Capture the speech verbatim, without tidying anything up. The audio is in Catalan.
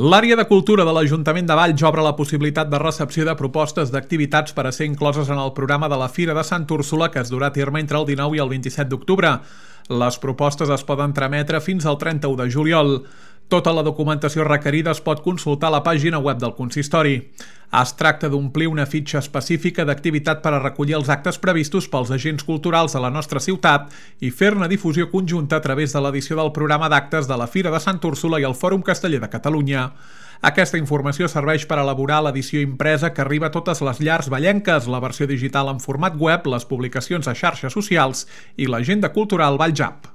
L'àrea de cultura de l'Ajuntament de Valls obre la possibilitat de recepció de propostes d'activitats per a ser incloses en el programa de la Fira de Sant Úrsula que es durà a terme entre el dinou i el vint-i-set d'octubre. Les propostes es poden trametre fins al trenta-u de juliol. Tota la documentació requerida es pot consultar a la pàgina web del consistori. Es tracta d'omplir una fitxa específica d'activitat per a recollir els actes previstos pels agents culturals de la nostra ciutat i fer-ne difusió conjunta a través de l'edició del programa d'actes de la Fira de Sant Úrsula i el Fòrum Casteller de Catalunya. Aquesta informació serveix per elaborar l'edició impresa que arriba a totes les llars vallenques, la versió digital en format web, les publicacions a xarxes socials i l'agenda cultural Valls App.